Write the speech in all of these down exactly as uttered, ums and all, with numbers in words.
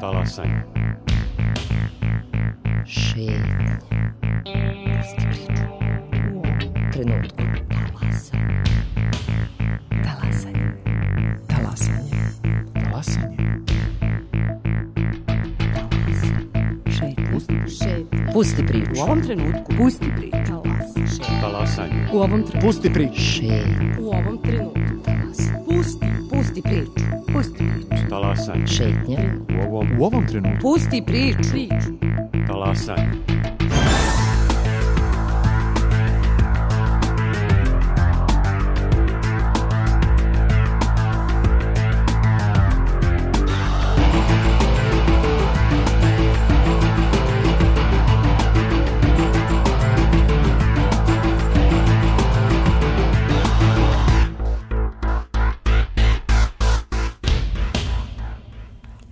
Talasanje. Šetnja. Pusti priču. U trenutku. Talasanje. Talasanje. Talasanje. Šetnja. Pusti Šetnja. Pusti priču. U ovom trenutku. Pusti priču. Talasanje. U ovom trenutku. Pusti priču. Šetnja. U ovom trenutku. Talasanje. Pusti. Pusti priču. Pusti priču. Talasanje. Šetnja. U ovom, U ovom trenutku. Pusti priču. Priču. talasanje.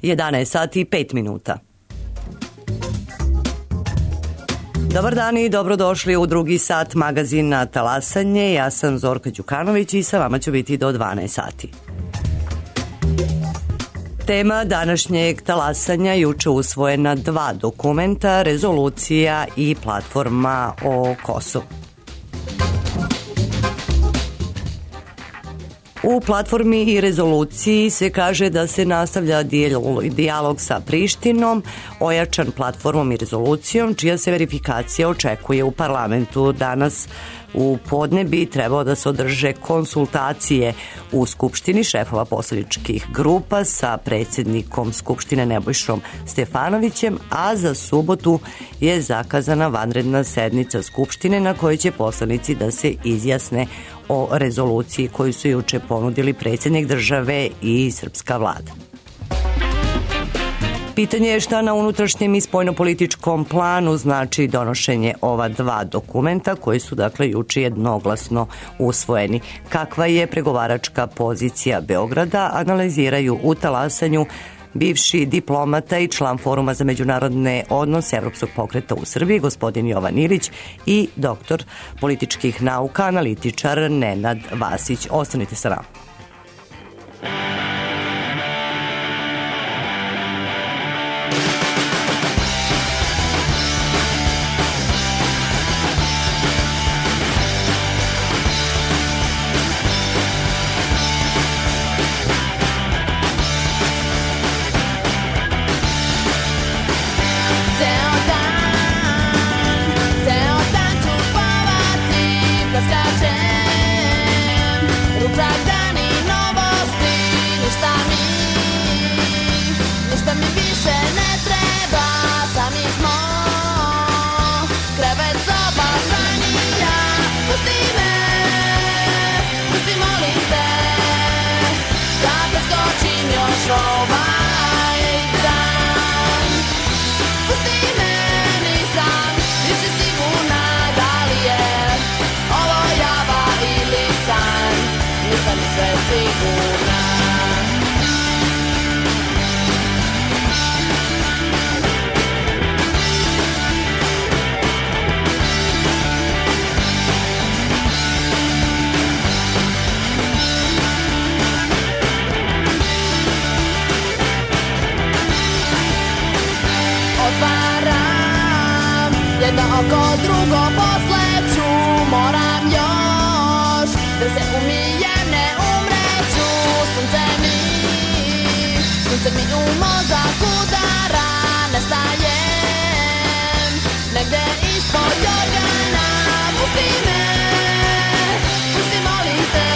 jedanaest sati i pet minuta. Dobar dan i dobrodošli u drugi sat magazina Talasanje. Ja sam Zorka Đukanović i sa vama ću biti do dvanaest sati. Tema današnjeg talasanja juče usvojena dva dokumenta, rezolucija i platforma o Kosovu. U platformi i rezoluciji se kaže da se nastavlja dijalog sa Prištinom, ojačan platformom i rezolucijom, čija se verifikacija očekuje u parlamentu. Danas u podne bi trebao da se održe konsultacije u Skupštini šefova poslaničkih grupa sa predsjednikom Skupštine Nebojšom Stefanovićem, a za subotu je zakazana vanredna sednica Skupštine na kojoj će poslanici da se izjasne o rezoluciji koju su juče ponudili predsjednik države i srpska vlada. Pitanje je šta na unutrašnjem i spoljnopolitičkom planu znači donošenje ova dva dokumenta koji su dakle juče jednoglasno usvojeni. Kakva je pregovaračka pozicija Beograda, analiziraju u talasanju bivši diplomata i član Foruma za međunarodne odnose Evropskog pokreta u Srbiji, gospodin Jovan Ilić, i doktor političkih nauka, analitičar Nenad Vasić. Ostanite sa nama. Oko drugo posleću, moram još da se umijem, ne umreću. Sunce mi, sunce mi u mozak udara, nestajem negde ispod jorgana. Pusti me, pusti molim te,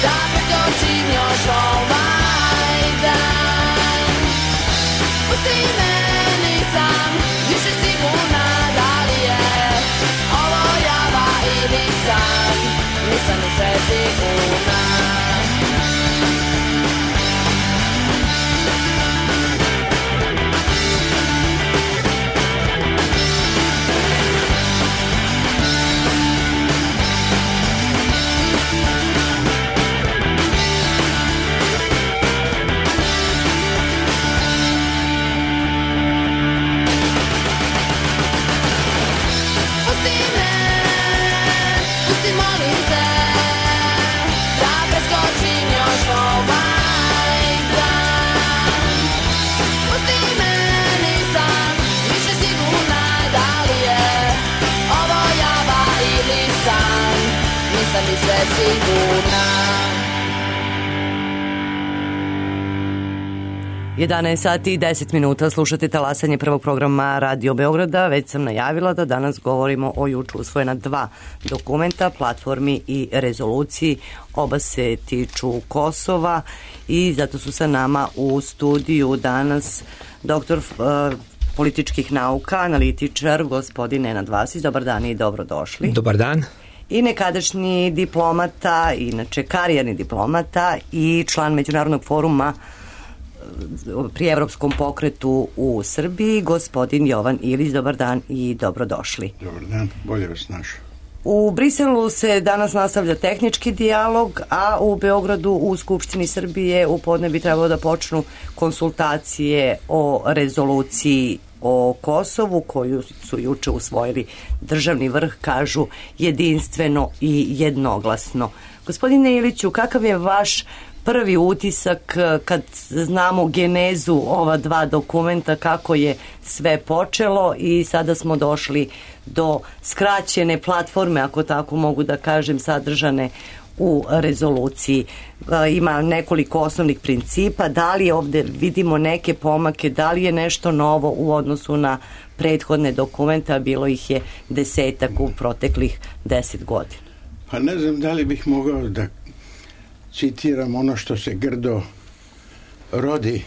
da preskočim još ovaj dan. Pusti me, nisam više sigurna da li je ovo java ili san, nisam više sigurna. nisam više sigurna. jedanaest sati i deset minuta, slušate talasanje prvog programa Radio Beograda. Već sam najavila da danas govorimo o juče usvojena dva dokumenta, platformi i rezoluciji. Oba se tiču Kosova i zato su sa nama u studiju danas doktor uh, političkih nauka, analitičar, gospodin Nenad Vasić. Dobar dan i dobrodošli. Dobar dan. I nekadašnji diplomata, inače karijerni diplomata i član Međunarodnog foruma pri Evropskom pokretu u Srbiji, gospodin Jovan Ilić. Dobar dan i dobrodošli. Dobar dan, bolje vas našao. U Briselu se danas nastavlja tehnički dijalog, a u Beogradu u Skupštini Srbije u podne bi trebalo da počnu konsultacije o rezoluciji o Kosovu koju su juče usvojili državni vrh, kažu jedinstveno i jednoglasno. Gospodine Iliću, kakav je vaš prvi utisak kad znamo genezu ova dva dokumenta, kako je sve počelo i sada smo došli do skraćene platforme, ako tako mogu da kažem, sadržane u rezoluciji? Ima nekoliko osnovnih principa. Da li ovde vidimo neke pomake, da li je nešto novo u odnosu na prethodne dokumente, a bilo ih je desetak u proteklih deset godina? Pa ne znam da li bih mogao da citiram ono što se grdo rodi,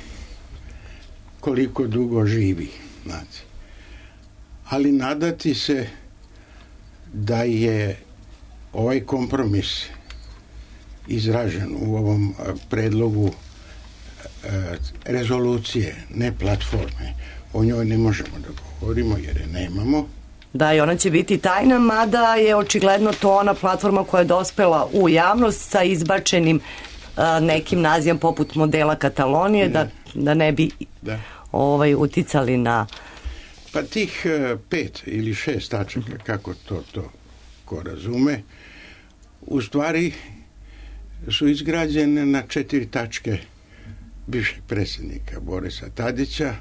koliko dugo živi, znate. Ali nadati se da je ovaj kompromis izražen u ovom predlogu e, rezolucije, ne platforme. O njoj ne možemo da govorimo jer je nemamo. Da, i ona će biti tajna, mada je očigledno to ona platforma koja je dospela u javnost sa izbačenim a, nekim nazivom poput modela Katalonije, da, da ne bi da. Ovaj, uticali na... Pa tih uh, pet ili šest tačaka, kako to, to ko razume, u stvari su izgrađene na četiri tačke bivšeg predsjednika Borisa Tadića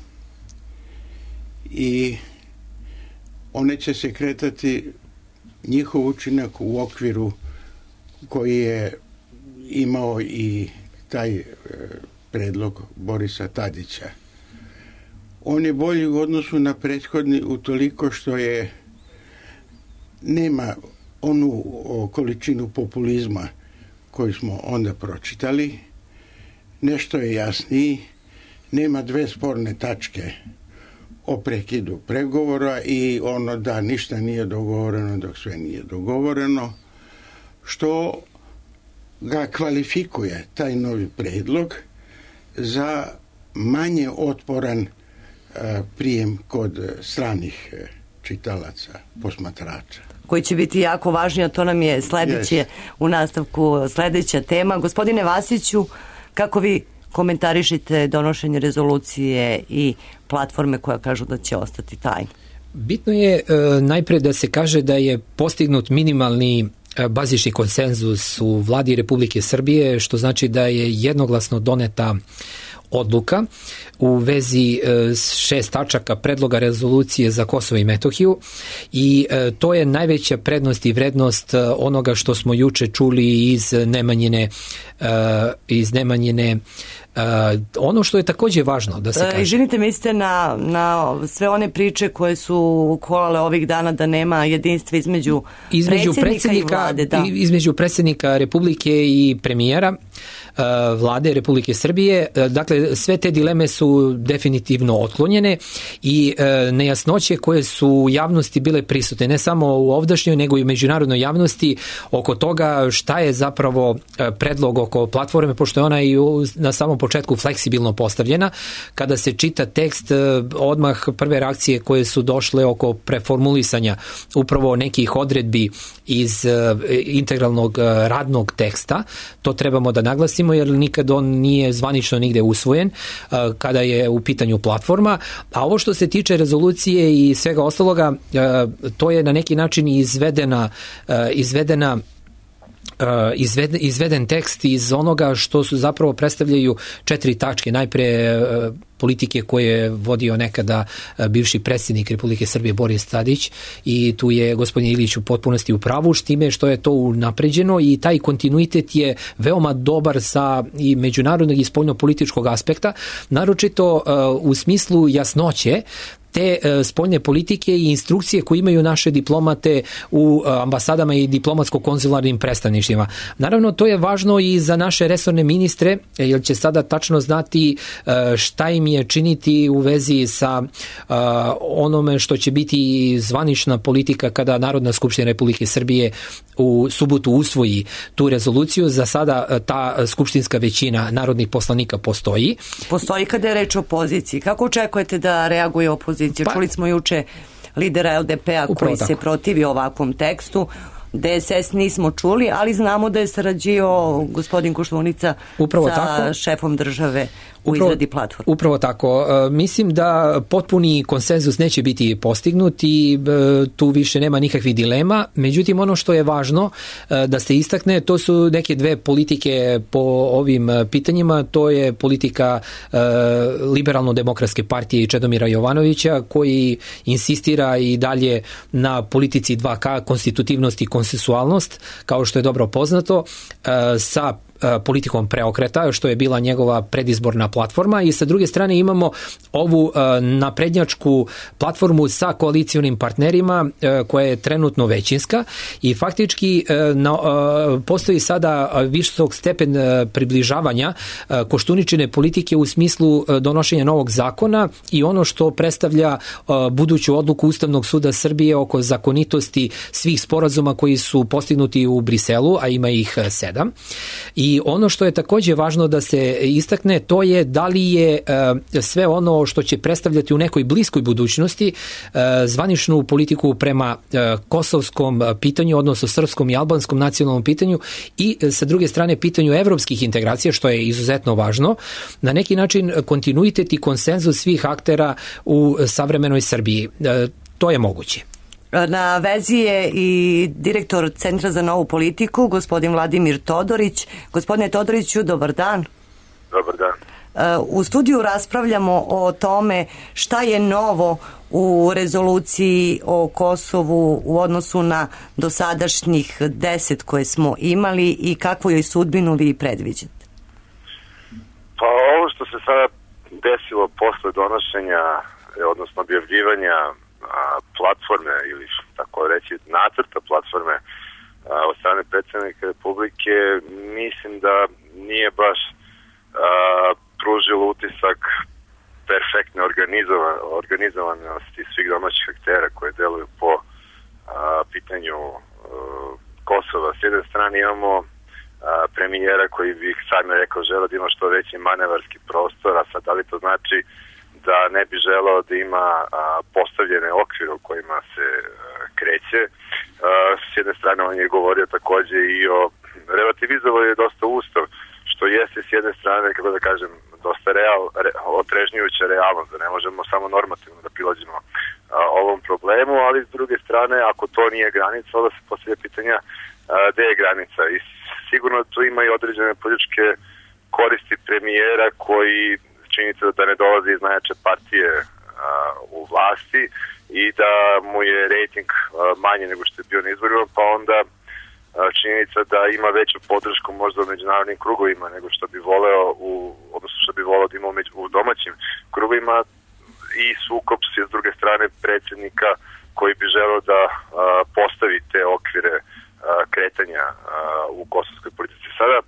i one će se kretati, njihov učinak u okviru koji je imao i taj e, predlog Borisa Tadića. On je bolji u odnosu na prethodni utoliko što je nema onu o, količinu populizma koju smo onda pročitali, nešto je jasniji, nema dve sporne tačke o prekidu pregovora i ono da ništa nije dogovoreno dok sve nije dogovoreno, što ga kvalifikuje, taj novi predlog, za manje otporan uh, prijem kod stranih uh, čitalaca, posmatrača. Koji će biti jako važni, a to nam je sledeće, yes. u nastavku sledeća tema. Gospodine Vasiću, kako vi komentarišite donošenje rezolucije i platforme koja kažu da će ostati tajna? Bitno je e, najpre da se kaže da je postignut minimalni e, bazični konsenzus u vladi Republike Srbije, što znači da je jednoglasno doneta odluka u vezi e, šest tačaka predloga rezolucije za Kosovo i Metohiju i e, to je najveća prednost i vrednost e, onoga što smo juče čuli iz Nemanjine e, iz Nemanjine. Uh, ono što je takođe važno da se kaže. Izvinite, mislite na, na sve one priče koje su kolale ovih dana da nema jedinstva između, između predsjednika i vlade. Da. Između predsjednika Republike i premijera uh, vlade Republike Srbije. Uh, dakle, sve te dileme su definitivno otklonjene i uh, nejasnoće koje su u javnosti bile prisutne, ne samo u ovdašnjoj, nego i u međunarodnoj javnosti oko toga šta je zapravo uh, predlog oko platforme, pošto je ona i u, na samom početku fleksibilno postavljena. Kada se čita tekst, odmah prve reakcije koje su došle oko preformulisanja upravo nekih odredbi iz integralnog radnog teksta, to trebamo da naglasimo jer nikad on nije zvanično nigde usvojen kada je u pitanju platforma, a ovo što se tiče rezolucije i svega ostaloga, to je na neki način izvedena izvedena izveden, izveden tekst iz onoga što su zapravo predstavljaju četiri tačke. Najpre politike koje je vodio nekada bivši predsjednik Republike Srbije Boris Tadić i tu je gospodin Ilić u potpunosti u pravu, s time što je to unapređeno i taj kontinuitet je veoma dobar sa i međunarodnog i spoljno-političkog aspekta, naročito u smislu jasnoće te spoljne politike i instrukcije koje imaju naše diplomate u ambasadama i diplomatsko-konzularnim predstavništvima. Naravno, to je važno i za naše resorne ministre, jer će sada tačno znati šta im je činiti u vezi sa onome što će biti zvanična politika kada Narodna skupština Republike Srbije u subotu usvoji tu rezoluciju. Za sada ta skupštinska većina narodnih poslanika postoji. Postoji kada je reč o opoziciji. Kako očekujete da reaguje opozicija? Pa, čuli smo juče lidera L D P-a koji tako se protivi ovakvom tekstu. D S S nismo čuli, ali znamo da je sarađio gospodin Koštunica upravo sa tako. šefom države u upravo, izradi platforme. Upravo tako. E, mislim da potpuni konsenzus neće biti postignut i e, tu više nema nikakvih dilema. Međutim, ono što je važno e, da se istakne, to su neke dve politike po ovim pitanjima. To je politika e, Liberalno-demokratske partije i Čedomira Jovanovića, koji insistira i dalje na politici dva K, konstitutivnost i konsensualnost, kao što je dobro poznato, e, sa politikom preokreta, što je bila njegova predizborna platforma, i sa druge strane imamo ovu naprednjačku platformu sa koalicionim partnerima koja je trenutno većinska i faktički postoji sada visok stepen približavanja Koštuničine politike u smislu donošenja novog zakona i ono što predstavlja buduću odluku Ustavnog suda Srbije oko zakonitosti svih sporazuma koji su postignuti u Briselu, a ima ih sedam. I ono što je također važno da se istakne, to je da li je e, sve ono što će predstavljati u nekoj bliskoj budućnosti e, zvaničnu politiku prema e, kosovskom pitanju, odnosno srpskom i albanskom nacionalnom pitanju i e, sa druge strane pitanju evropskih integracija, što je izuzetno važno, na neki način kontinuitet i konsenzus svih aktera u savremenoj Srbiji. E, to je moguće. Na vezi je i direktor Centra za novu politiku, gospodin Vladimir Todorić. Gospodine Todoriću, dobar dan. Dobar dan. U studiju raspravljamo o tome šta je novo u rezoluciji o Kosovu u odnosu na dosadašnjih deset koje smo imali i kakvu joj sudbinu vi predviđate. Pa ovo što se sada desilo posle donošenja, odnosno objavljivanja platforme ili tako reći nacrta platforme od strane predsjednika Republike, mislim da nije baš a, pružilo utisak perfektne organizovanosti svih domaćih aktera koje deluju po a, pitanju a, Kosova. S jedne strane imamo a, premijera koji bih sad me rekao želeo da ima što veći manevarski prostor, a sad da li to znači da ne bi želeo da ima a, postavljene okvire u kojima se a, kreće. A, s jedne strane on je govorio takođe i o relativizovao je dosta ustav, što jeste s jedne strane, kako da kažem, dosta real, re, otrežnjujuća realnost, da ne možemo samo normativno da prilađemo a, ovom problemu, ali s druge strane, ako to nije granica, onda se postavlja pitanja a, gde je granica. I sigurno tu ima i određene političke koristi premijera koji činjenica da ne dolazi iz najjače partije a, u vlasti i da mu je rejting a, manje nego što je bio na izborima, pa onda a, činjenica da ima veću podršku možda u međunarodnim krugovima nego što bi voleo u, odnosno što bi voleo da ima u, među, u domaćim krugovima i sukob s druge strane predsjednika koji bi želeo da a, postavi te okvire a, kretanja a, u kosovskoj politici. Sada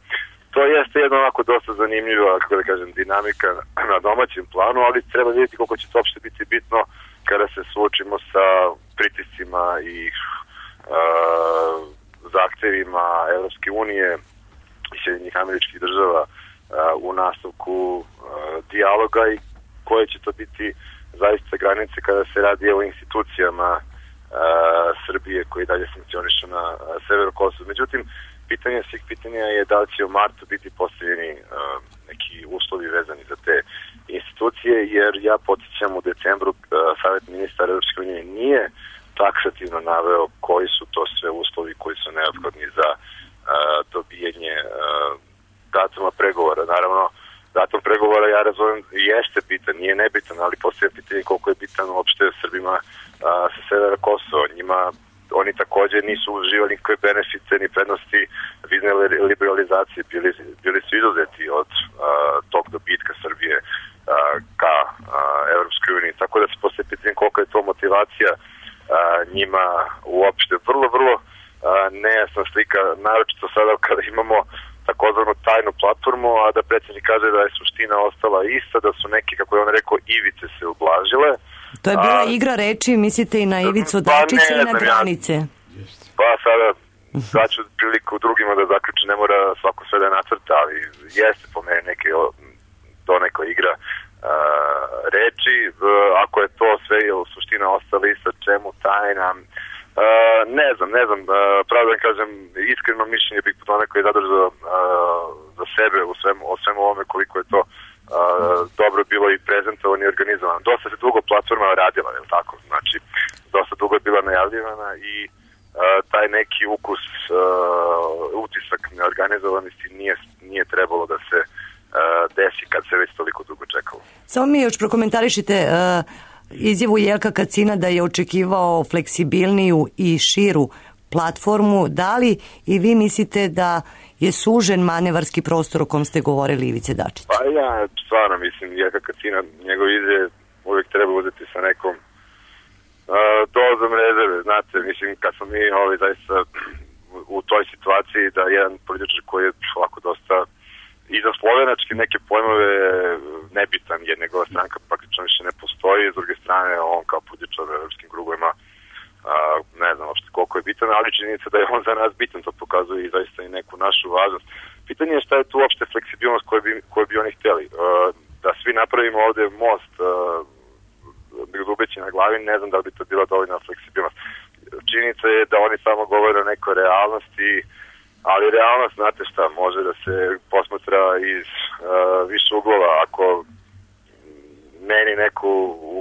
to jeste jedno onako dosta zanimljiva, kako da kažem, dinamika na domaćem planu, ali treba vidjeti koliko će to uopšte biti bitno kada se suočimo sa pritiscima i uh, zahtevima Evropske unije i Sjedinjenih Američkih Država uh, u nastavku uh, dijaloga i koje će to biti zaista granice kada se radi o institucijama uh, Srbije koji dalje funkcionišu na uh, severu Kosova. Međutim, pitanje svih pitanja je da li će u martu biti postavljeni uh, neki uslovi vezani za te institucije, jer ja podsjećam u decembru uh, Savet ministara Europske unije nije taksativno naveo koji su to sve uslovi koji su neophodni za uh, dobijanje uh, datuma pregovora. Naravno, datum pregovora, ja razumem, jeste bitan, nije nebitan, ali postoje pitanje koliko je bitan uopšte Srbima uh, sa severa Kosova. Njima, oni takođe nisu uživali nikakve benefite ni prednosti vizne liberalizacije, bili, bili su izuzeti od uh, tog dobitka Srbije uh, ka uh, Evropskoj uniji. Tako da se postoje pitanje koliko je to motivacija uh, njima uopšte. Vrlo, vrlo uh, nejasna slika, naročito sada kada imamo takozvanu tajnu platformu, a da predsjednik kaže da je suština ostala ista, da su neki, kako je on rekao, ivice se ublažile. To je bila a, igra reči, mislite i na Ivicu pa Dačića ne, i na granice. Ja, pa sada daću priliku drugima da zaključe, ne mora svako sve da nacrta, ali jeste po meni neke to neka igra a, reči. Ako je to sve u suština ostala ista, čemu tajna? Uh, ne znam, ne znam, uh, pravo da kažem, iskreno mišljenje bih po tome koji je zadržao uh, za sebe u svemu, o svemu ovome koliko je to uh, dobro bilo i prezentovano i organizovano. Dosta se dugo platforma radila, je li tako? Znači, dosta dugo je bila najavljivana i uh, taj neki ukus, uh, utisak neorganizovanosti nije, nije trebalo da se uh, desi kad se već toliko dugo čekalo. Samo mi još prokomentarišite uh, izjavu Jelka Kacina da je očekivao fleksibilniju i širu platformu. Da li i vi mislite da je sužen manevarski prostor o kom ste govorili Ivice Dačića? Pa ja stvarno mislim Jelka Kacina, njegov izjave uvijek treba uzeti sa nekom uh, dozom rezerve. Znate, mislim kad smo mi ovaj, zaista u toj situaciji da jedan političar koji je ovako dosta i za slovenački neke pojmove nebitan, jer njegova stranka praktično više ne postoji, s druge strane on kao političar u evropskim krugovima uh, ne znam uopšte koliko je bitan, ali činjenica da je on za nas bitan, to pokazuje i zaista i neku našu važnost. Pitanje je šta je tu uopšte fleksibilnost koju bi, koju bi oni htjeli. Uh, da svi napravimo ovde most uh, dubeći na glavi, ne znam da li bi to bila dovoljna fleksibilnost. Činjenica je da oni samo govore o nekoj realnosti, ali realnost, znate šta, može da se posmatra iz uh, više uglova. Ako meni neku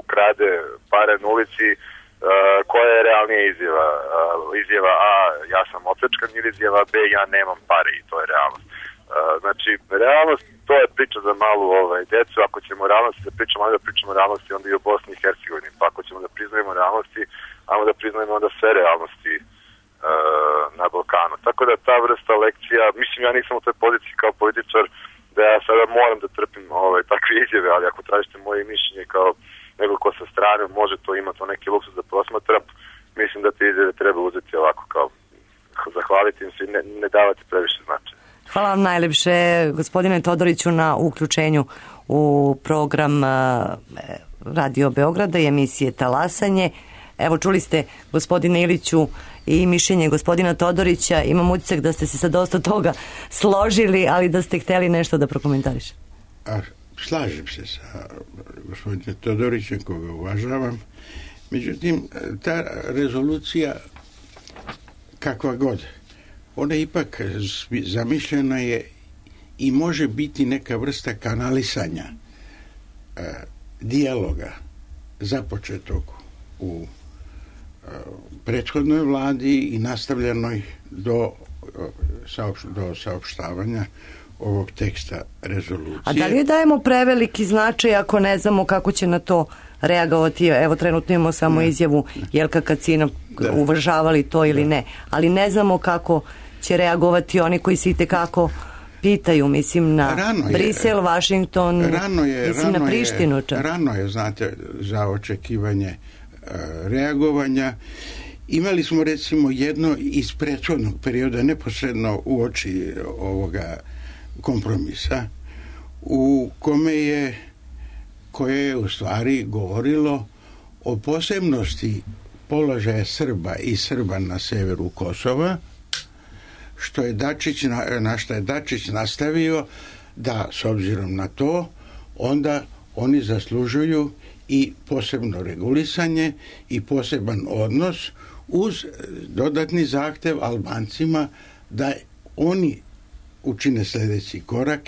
ukrade pare na ulici, uh, koja je realnija izjava? Uh, izjava A, ja sam opljačkan, ili izjava B, ja nemam pare, i to je realnost. Uh, znači, realnost, to je priča za malu ovaj, decu. Ako ćemo realnosti da pričamo, da pričamo realnosti onda i o Bosni i Hercegovini. Pa ako ćemo da priznajemo realnosti, ajmo da priznajemo onda sve realnosti na Balkanu. Tako da ta vrsta lekcija, mislim ja nisam u toj poziciji kao političar da ja sada moram da trpim ovaj, takve izjave, ali ako tražite moje mišljenje kao nego ko sa strane može to imati o neki luksus da posmatra, mislim da te izjave treba uzeti ovako kao zahvaliti im se i ne, ne davati previše značaja. Hvala vam najlepše gospodine Todoriću na uključenju u program Radio Beograda i emisije Talasanje. Evo čuli ste gospodine Iliću i mišljenje gospodina Todorića. Imam utisak da ste se sa dosta toga složili, ali da ste hteli nešto da prokomentarišete. A, slažem se sa gospodinom Todorićem, koga uvažavam. Međutim, ta rezolucija, kakva god, ona ipak zamišljena je i može biti neka vrsta kanalisanja e, dijaloga započetog u prethodnoj vladi i nastavljenoj do, do saopštavanja ovog teksta rezolucije. A da li dajemo preveliki značaj ako ne znamo kako će na to reagovati? Evo trenutno imamo samo ne. izjavu Jelka Kacina, da. uvažavali to ili ne, ali ne znamo kako će reagovati oni koji se itekako pitaju, mislim na rano Brisel, je, Washington, rano je, mislim rano na Prištinu. Je, rano je, znate, za očekivanje reagovanja. Imali smo recimo jedno iz prethodnog perioda neposredno uoči ovoga kompromisa u kome je koje je u stvari govorilo o posebnosti položaja Srba i Srba na severu Kosova, što je Dačić, na što je Dačić nastavio da s obzirom na to onda oni zaslužuju i posebno regulisanje i poseban odnos uz dodatni zahtev Albancima da oni učine sljedeći korak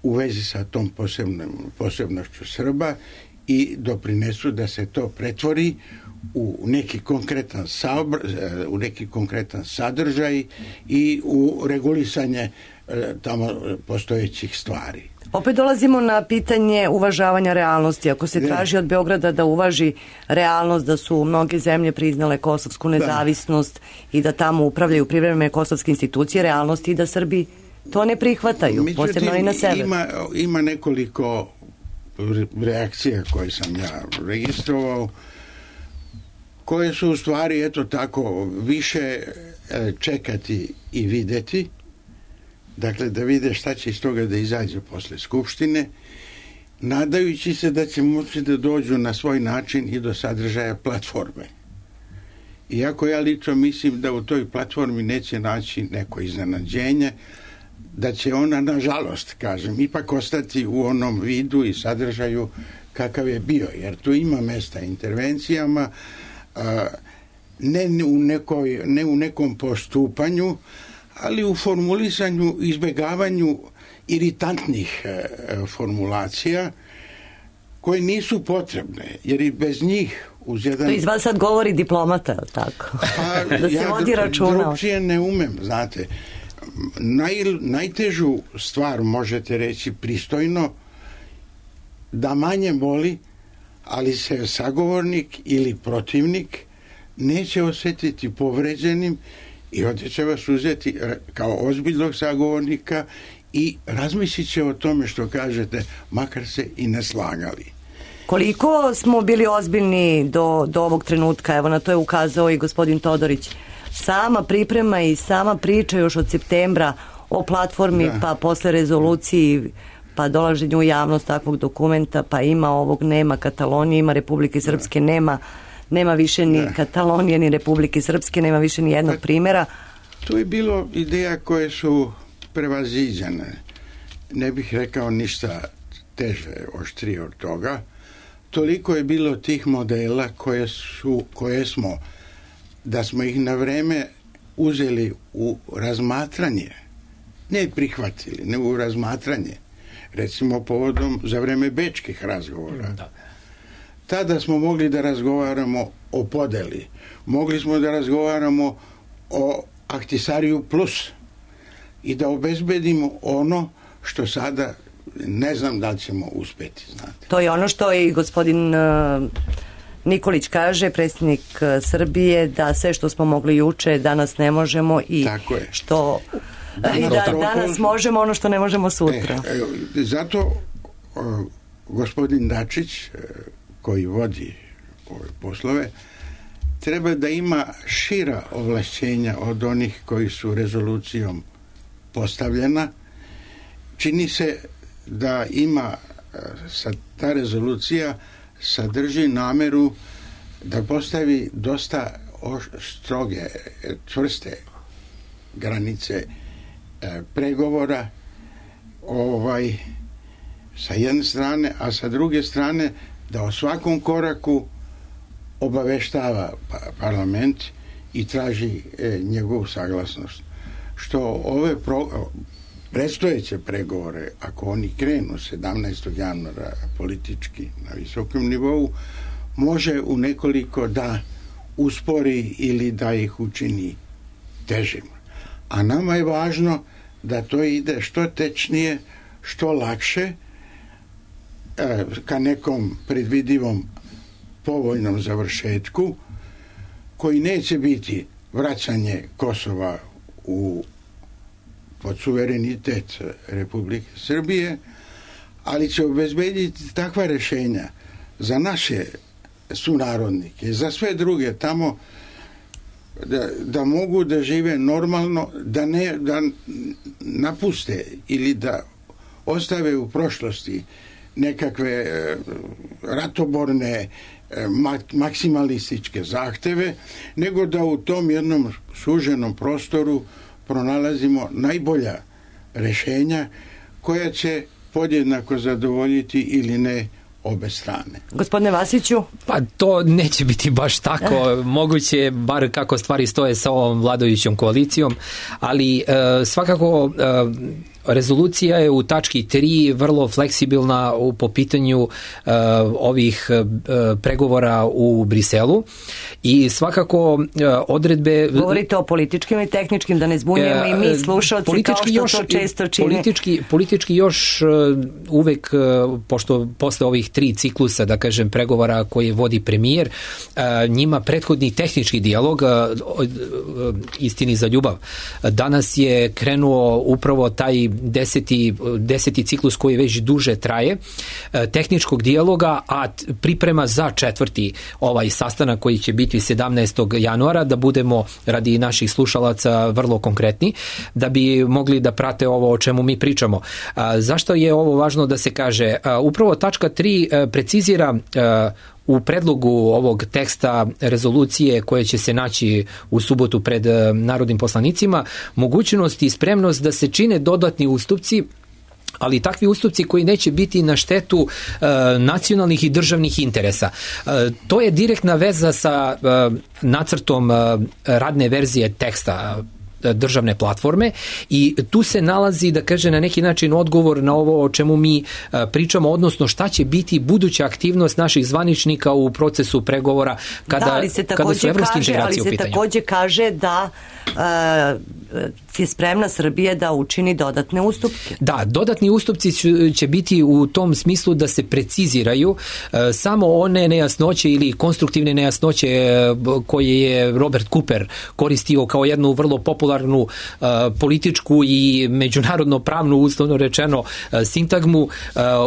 u vezi sa tom posebnom, posebnošću Srba i doprinesu da se to pretvori u neki konkretan saobr, u neki konkretan sadržaj i u regulisanje tamo postojećih stvari. Opet dolazimo na pitanje uvažavanja realnosti. Ako se traži od Beograda da uvaži realnost da su mnoge zemlje priznale kosovsku nezavisnost da. i da tamo upravljaju privremene kosovske institucije, realnosti i da Srbi to ne prihvataju, Međutim, posebno i na severu. Ima, ima nekoliko reakcija koje sam ja registrovao, koje su u stvari, eto tako, više čekati i videti, dakle da vide šta će iz toga da izađe posle Skupštine, nadajući se da će moći da dođu na svoj način i do sadržaja platforme. Iako ja lično mislim da u toj platformi neće naći neko iznenađenje, da će ona, nažalost, kažem, ipak ostati u onom vidu i sadržaju kakav je bio, jer tu ima mesta intervencijama, ne u, nekoj, ne u nekom postupanju, ali u formulisanju, izbegavanju iritantnih formulacija koje nisu potrebne, jer i bez njih uz jedan... To iz vas sad govori diplomata, tako? Pa, da se ja vodi računa. Drugčije ne umem, znate. Naj, najtežu stvar, možete reći pristojno, da manje boli, ali se sagovornik ili protivnik neće osjetiti povređenim i ovdje će vas uzeti kao ozbiljnog sagovornika i razmislit će o tome što kažete, makar se i ne slagali. Koliko smo bili ozbiljni do, do ovog trenutka, evo na to je ukazao i gospodin Todorić, sama priprema i sama priča još od septembra o platformi, da. pa posle rezoluciji, pa dolaženju u javnost takvog dokumenta, pa ima ovog, nema Katalonije, ima Republike Srpske, da. nema nema više ni da. Katalonije, ni Republike Srpske, nema više ni jednog pa, primjera. Tu je bilo ideja koje su prevaziđene. Ne bih rekao ništa teže, oštrije od toga. Toliko je bilo tih modela koje su, koje smo, da smo ih na vreme uzeli u razmatranje, ne prihvatili, ne u razmatranje. Recimo povodom za vreme bečkih razgovora. Da. Tada smo mogli da razgovaramo o podeli. Mogli smo da razgovaramo o Ahtisariju plus i da obezbedimo ono što sada ne znam da li ćemo uspeti, znate. To je ono što i gospodin uh, Nikolić kaže, predsjednik uh, Srbije, da sve što smo mogli juče danas ne možemo i što da, i da danas možemo ono što ne možemo sutra. E, e, zato uh, gospodin Dačić uh, koji vodi ove poslove treba da ima šira ovlašćenja od onih koji su rezolucijom postavljena. Čini se da ima, sa ta rezolucija sadrži nameru da postavi dosta stroge, čvrste granice e, pregovora ovaj, sa jedne strane, a sa druge strane da o svakom koraku obaveštava parlament i traži e, njegovu saglasnost. Što ove pro, predstojeće pregovore, ako oni krenu sedamnaestog januara politički na visokom nivou, može u nekoliko da uspori ili da ih učini težim. A nama je važno da to ide što tečnije, što lakše, e, ka nekom predvidivom povoljnom završetku koji neće biti vraćanje Kosova u pod suverenitet Republike Srbije, ali će obezbediti takva rešenja za naše sunarodnike, za sve druge tamo da, da mogu da žive normalno, da ne da napuste ili da ostave u prošlosti nekakve ratoborne maksimalističke zahteve, nego da u tom jednom suženom prostoru pronalazimo najbolja rešenja koja će podjednako zadovoljiti ili ne obe strane. Gospodine Vasiću? Pa to neće biti baš tako, moguće, bar kako stvari stoje sa ovom vladajućom koalicijom, ali e, svakako e, rezolucija je u tački tri vrlo fleksibilna u, po pitanju uh, ovih uh, pregovora u Briselu i svakako uh, odredbe... Govorite o političkim i tehničkim, da ne zbunjujemo uh, i mi slušalci kao što još, to često čini. Politički, politički još uh, uvek, uh, pošto posle ovih tri ciklusa, da kažem, pregovora koje vodi premijer, uh, njima prethodni tehnički dijalog, uh, uh, istini za ljubav, danas je krenuo upravo taj deseti, deseti ciklus koji već duže traje, tehničkog dijaloga, a priprema za četvrti ovaj sastanak koji će biti sedamnaestog januara, da budemo radi naših slušalaca vrlo konkretni, da bi mogli da prate ovo o čemu mi pričamo. A, zašto je ovo važno da se kaže? A, upravo tačka tri precizira a, u predlogu ovog teksta rezolucije koje će se naći u subotu pred narodnim poslanicima mogućnost i spremnost da se čine dodatni ustupci, ali takvi ustupci koji neće biti na štetu e, nacionalnih i državnih interesa. E, to je direktna veza sa e, nacrtom e, radne verzije teksta državne platforme i tu se nalazi, da kaže, na neki način odgovor na ovo o čemu mi pričamo, odnosno šta će biti buduća aktivnost naših zvaničnika u procesu pregovora kada, da, ali se kada su evropske kaže, integracije u pitanju. Ali se takođe kaže da uh, je spremna Srbija da učini dodatne ustupke. Da, dodatni ustupci će biti u tom smislu da se preciziraju uh, samo one nejasnoće ili konstruktivne nejasnoće uh, koje je Robert Cooper koristio kao jednu vrlo popularnu Uh, političku i međunarodno pravnu, uslovno rečeno, uh, sintagmu uh,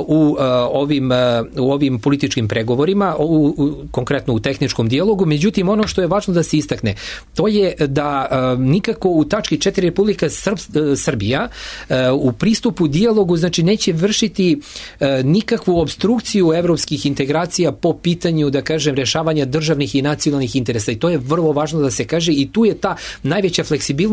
u, uh, ovim, uh, u ovim političkim pregovorima, u, u, konkretno u tehničkom dijalogu. Međutim, ono što je važno da se istakne, to je da uh, nikako u tački četiri Republika Srb, uh, Srbija uh, u pristupu dijalogu, znači, neće vršiti uh, nikakvu obstrukciju evropskih integracija po pitanju, da kažem, rešavanja državnih i nacionalnih interesa. I to je vrlo važno da se kaže i tu je ta najveća fleksibilnost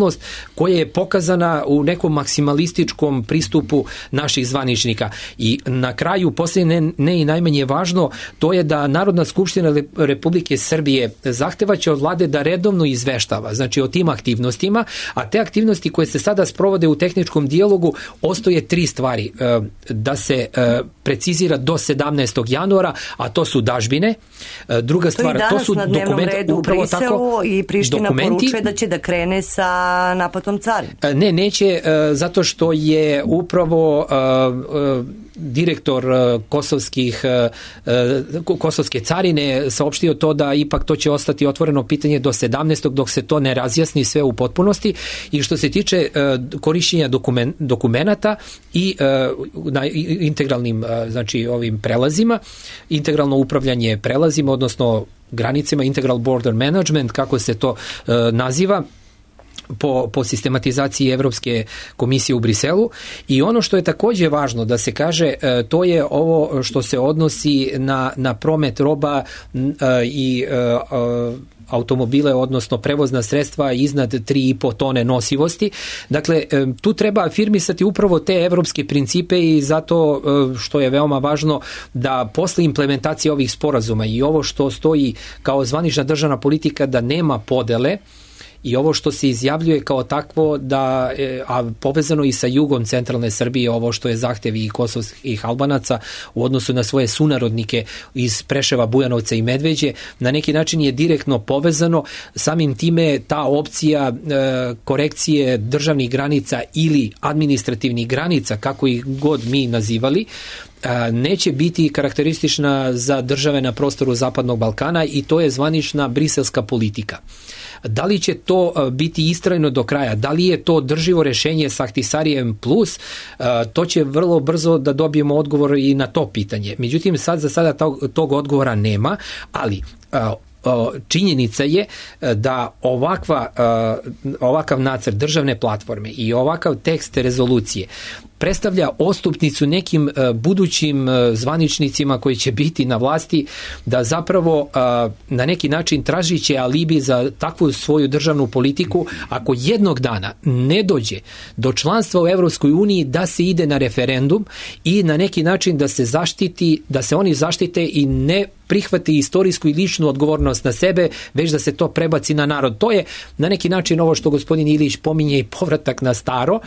koja je pokazana u nekom maksimalističkom pristupu naših zvaničnika. I na kraju, posljednje ne, ne i najmanje važno, to je da Narodna skupština Republike Srbije zahtevaće od vlade da redovno izveštava, znači o tim aktivnostima, a te aktivnosti koje se sada sprovode u tehničkom dijalogu ostoje tri stvari. Da se precizira do sedamnaestog januara, a to su dažbine. Druga stvar, to, to su dokumenti, upravo tako, i Priština dokumenti, poručuje da će da krene sa naplatom carine. Ne, neće, zato što je upravo direktor kosovskih kosovske carine saopštio to da ipak to će ostati otvoreno pitanje do sedamnaestog dok se to ne razjasni sve u potpunosti. I što se tiče korišćenja dokumen, dokumenata i na integralnim, znači, ovim prelazima, integralno upravljanje prelazima, odnosno granicama, integral border management, kako se to naziva, po, po sistematizaciji Evropske komisije u Briselu. I ono što je takođe važno da se kaže, to je ovo što se odnosi na, na promet roba i automobile, odnosno prevozna sredstva iznad tri i po tone nosivosti. Dakle, tu treba afirmisati upravo te evropske principe i zato što je veoma važno da posle implementacije ovih sporazuma i ovo što stoji kao zvanična državna politika da nema podele, i ovo što se izjavljuje kao takvo, da, a povezano i sa jugom centralne Srbije, ovo što je zahtev i kosovskih Albanaca u odnosu na svoje sunarodnike iz Preševa, Bujanovca i Medveđe, na neki način je direktno povezano. Samim time ta opcija e, korekcije državnih granica ili administrativnih granica, kako ih god mi nazivali, neće biti karakteristična za države na prostoru Zapadnog Balkana i to je zvanična briselska politika. Da li će to biti istrajno do kraja, da li je to drživo rešenje sa Ahtisarijem plus, to će vrlo brzo da dobijemo odgovor i na to pitanje. Međutim, sad za sada tog, tog odgovora nema, ali činjenica je da ovakva, ovakav nacrt državne platforme i ovakav tekst rezolucije predstavlja ostupnicu nekim budućim zvaničnicima koji će biti na vlasti, da zapravo na neki način tražiće alibi za takvu svoju državnu politiku, ako jednog dana ne dođe do članstva u Evropskoj uniji, da se ide na referendum i na neki način da se zaštiti, da se oni zaštite i ne prihvati istorijsku i ličnu odgovornost na sebe, već da se to prebaci na narod. To je na neki način ovo što gospodin Ilić pominje i povratak na staro,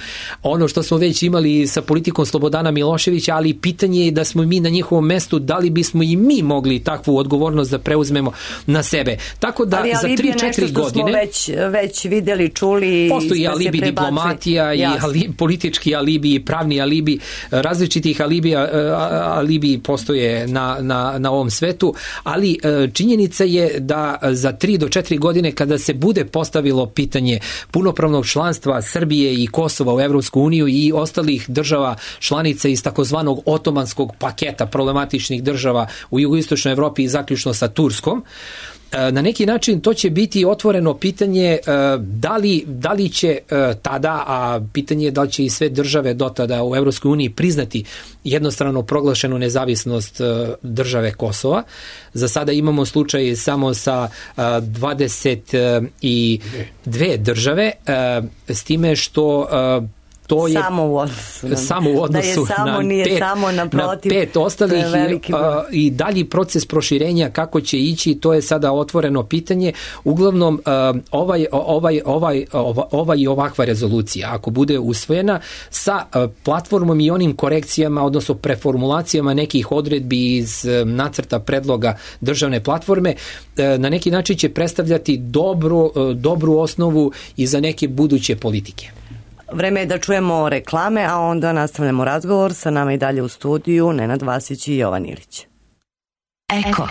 ono što smo već imali sa politikom Slobodana Miloševića, ali pitanje je da smo mi na njihovom mestu, da li bismo i mi mogli takvu odgovornost da preuzmemo na sebe. Tako da ali za tri četiri godine... smo već, već videli, čuli... Postoji alibi diplomatija i ali, politički alibi, pravni alibi, različitih alibi, alibi postoje na, na, na ovom svetu, ali činjenica je da za tri do četiri godine kada se bude postavilo pitanje punopravnog članstva Srbije i Kosova u Evropsku uniju i ostalih država članica iz takozvanog otomanskog paketa problematičnih država u jugoistočnoj Evropi i zaključno sa Turskom, na neki način to će biti otvoreno pitanje da li, da li će tada, a pitanje je da li će i sve države do tada u Evropskoj uniji priznati jednostrano proglašenu nezavisnost države Kosova. Za sada imamo slučaj samo sa dvadeset dve države, s time što to je samo u odnosu na, samo u odnosu da je samo, na, nije pet, samo naprotiv, na pet ostalih i, a, i dalji proces proširenja kako će ići, to je sada otvoreno pitanje. Uglavnom a, ovaj, ovaj, ovaj, ovaj i ovakva rezolucija, ako bude usvojena sa a, platformom i onim korekcijama, odnosno preformulacijama nekih odredbi iz a, nacrta predloga državne platforme, a, na neki način će predstavljati dobru, a, dobru osnovu i za neke buduće politike. Vreme je da čujemo reklame, a onda nastavljamo razgovor. Sa nama i dalje u studiju Nenad Vasić i Jovan Ilić. Eko.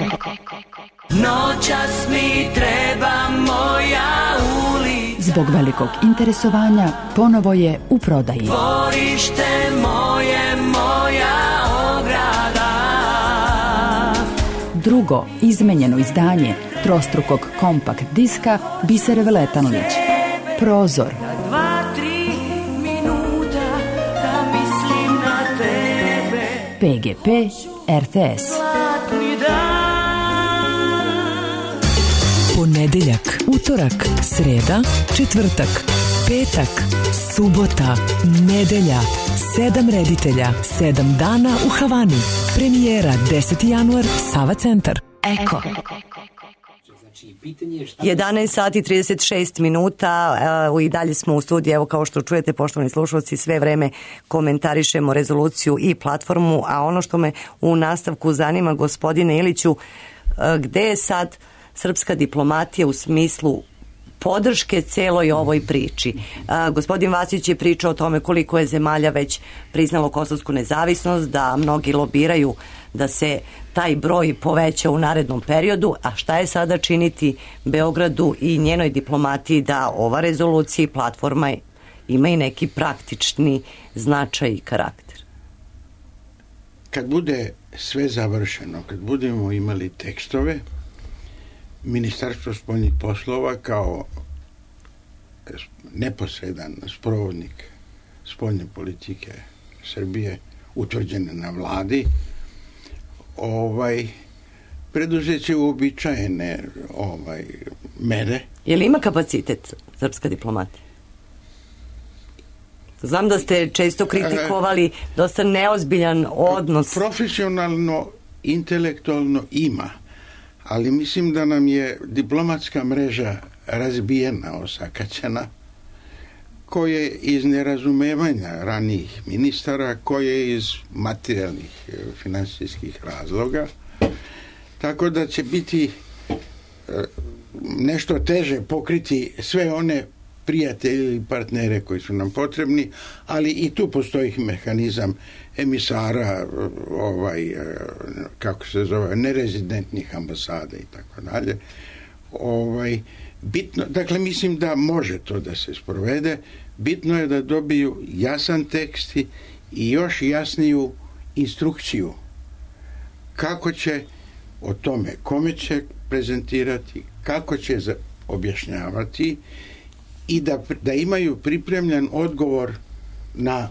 Noćas mi treba moja ulica. Zbog velikog interesovanja ponovo je u prodaji. Dvorište moje, moja ograda. Drugo izmenjeno izdanje trostrukog kompakt diska Bisere Veletanović. Prozor. P G P R T S. Ponedeljak, utorak, sreda, četvrtak, petak, subota, nedelja, sedam reditelja, sedam dana u Havani. Premijera deseti januar, Sava centar. Eko. jedanaest sati trideset šest minuta i dalje smo u studiju. Evo, kao što čujete, poštovani slušalci, sve vreme komentarišemo rezoluciju i platformu, a ono što me u nastavku zanima, gospodine Iliću, gde je sad srpska diplomatija u smislu podrške celoj ovoj priči? A, gospodin Vasić je pričao o tome koliko je zemalja već priznalo kosovsku nezavisnost, da mnogi lobiraju da se taj broj poveća u narednom periodu, a šta je sada činiti Beogradu i njenoj diplomatiji da ova rezolucija i platforma ima i neki praktični značaj i karakter? Kad bude sve završeno, kad budemo imali tekstove, Ministarstvo spoljnih poslova kao neposredan sprovodnik spoljne politike Srbije utvrđene na vladi, ovaj preduzeće uobičajene ovaj mere. Je li ima kapacitet srpska diplomatija? Znam da ste često kritikovali dosta neozbiljan odnos. Profesionalno, intelektualno ima, ali mislim da nam je diplomatska mreža razbijena, osakaćena, koje iz nerazumevanja ranijih ministara, koje iz materijalnih finansijskih razloga, tako da će biti nešto teže pokriti sve one prijatelje ili partnere koji su nam potrebni, ali i tu postoji mehanizam emisara, ovaj, kako se zove, nerezidentnih ambasada i tako dalje. Ovaj, bitno, dakle, mislim da može to da se sprovede. Bitno je da dobiju jasan tekst i još jasniju instrukciju kako će o tome, kome će prezentirati, kako će objašnjavati i da, da imaju pripremljen odgovor na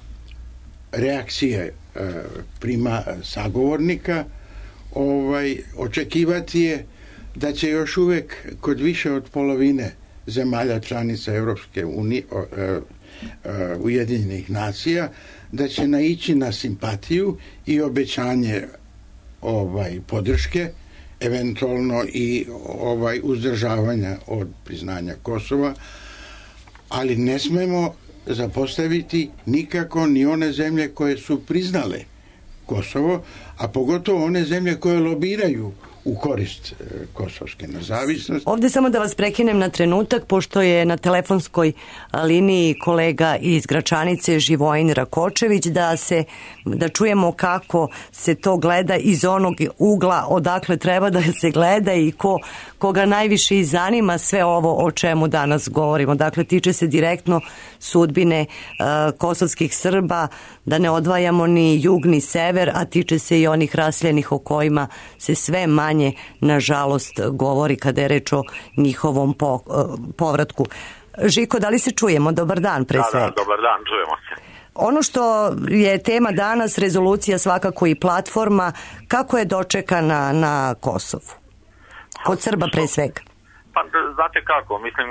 reakcije e, prima sagovornika, ovaj, očekivati je da će još uvek kod više od polovine zemalja članica Evropske unije, e, e, Ujedinjenih nacija, da će naići na simpatiju i obećanje ovaj podrške, eventualno i ovaj uzdržavanja od priznanja Kosova, ali ne smemo zapostaviti nikako ni one zemlje koje su priznale Kosovo, a pogotovo one zemlje koje lobiraju u korist kosovske nezavisnosti. Ovdje samo da vas prekinem na trenutak, pošto je na telefonskoj liniji kolega iz Gračanice Živojin Rakočević, da se da čujemo kako se to gleda iz onog ugla odakle treba da se gleda i ko, koga najviše i zanima sve ovo o čemu danas govorimo. Dakle, tiče se direktno sudbine uh, kosovskih Srba, da ne odvajamo ni jug ni sever, a tiče se i onih raseljenih o kojima se sve manje, nažalost, govori kada je reč o njihovom po, uh, povratku. Žiko, da li se čujemo? Dobar dan, pre svega. Da, da, dobar dan, čujemo se. Ono što je tema danas, rezolucija svakako i platforma, kako je dočekana na Kosovu? Kod Srba pre svega. Pa, znate kako, mislim,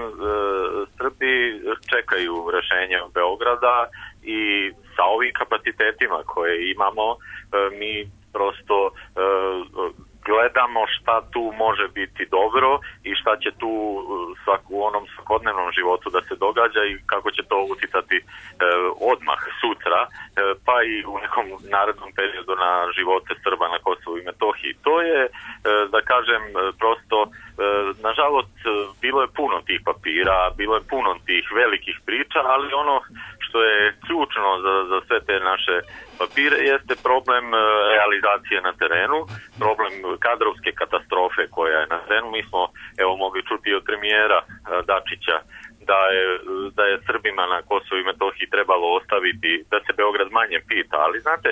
Srbi čekaju rešenje od Beograda i sa ovim kapacitetima koje imamo, mi prosto gledamo šta tu može biti dobro i šta će tu u onom svakodnevnom životu da se događa i kako će to uticati e, odmah sutra, e, pa i u nekom narednom periodu na živote Srba na Kosovu i Metohiji. To je, e, da kažem, prosto, e, nažalost, bilo je puno tih papira, bilo je puno tih velikih priča, ali ono što je ključno za, za sve te naše papire jeste problem realizacije na terenu, problem kadrovske katastrofe koja je na terenu. Mi smo, evo, mogli čuti od premijera Dačića da je, da je Srbima na Kosovu i Metohiji trebalo ostaviti, da se Beograd manje pita, ali znate,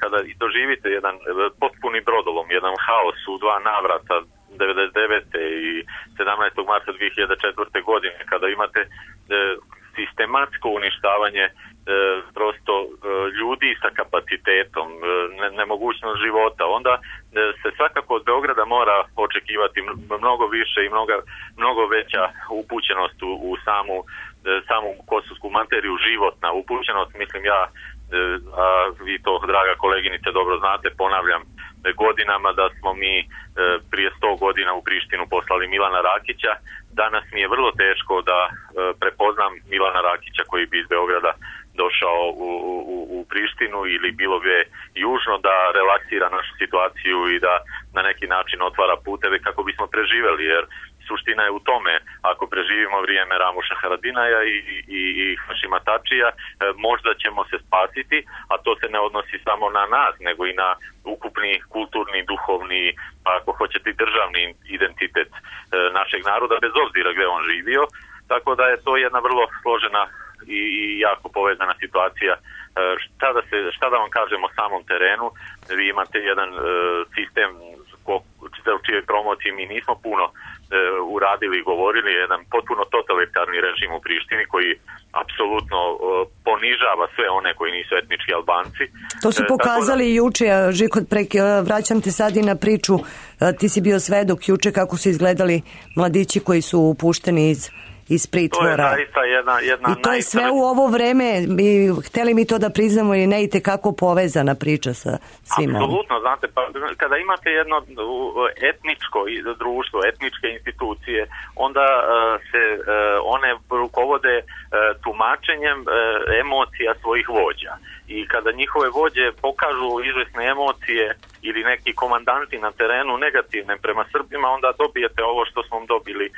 kada doživite jedan potpuni brodolom, jedan haos u dva navrata, devedeset devete i sedamnaestog marta dve hiljade četvrte. godine, kada imate sistematsko uništavanje e, prosto e, ljudi sa kapacitetom, e, ne, nemogućnost života, onda e, se svakako od Beograda mora očekivati mnogo više i mnogo, mnogo veća upućenost u, u samu, e, samu kosovsku materiju, životna upućenost. Mislim ja, e, a vi to, draga koleginice, dobro znate, ponavljam godinama da smo mi e, prije sto godina u Prištinu poslali Milana Rakića. Danas mi je vrlo teško da e, prepoznam Milana Rakića koji bi iz Beograda došao u, u, u Prištinu ili bilo gdje južno, da relaksira našu situaciju i da na neki način otvara puteve kako bismo preživjeli, jer suština je u tome, ako preživimo vrijeme Ramuša Haradinaja i, i, i Hašima Tačija, e, možda ćemo se spasiti, a to se ne odnosi samo na nas, nego i na ukupni kulturni, duhovni, pa ako hoćete državni identitet e, našeg naroda, bez obzira gdje on živio. Tako da je to jedna vrlo složena i, i jako povezana situacija. E, šta, da se, šta da vam kažem o samom terenu? Vi imate jedan e, sistem u čijoj promociji mi nismo puno e, uradili i govorili, jedan potpuno totalitarni režim u Prištini koji apsolutno e, ponižava sve one koji nisu etnički Albanci. To su pokazali e, da... juče, Žiko, prek, vraćam te sad i na priču, ti si bio svedok juče kako su izgledali mladići koji su upušteni iz iz pritvora. To je zaista jedna, jedna I to je sve u ovo vreme, i hteli mi to da priznamo ili ne, i tekako povezana priča sa svima. Apsolutno, znate, pa kada imate jedno etničko društvo, etničke institucije, onda uh, se uh, one rukovode uh, tumačenjem uh, emocija svojih vođa. I kada njihove vođe pokažu izvesne emocije ili neki komandanti na terenu negativne prema Srbima, onda dobijete ovo što smo dobili e,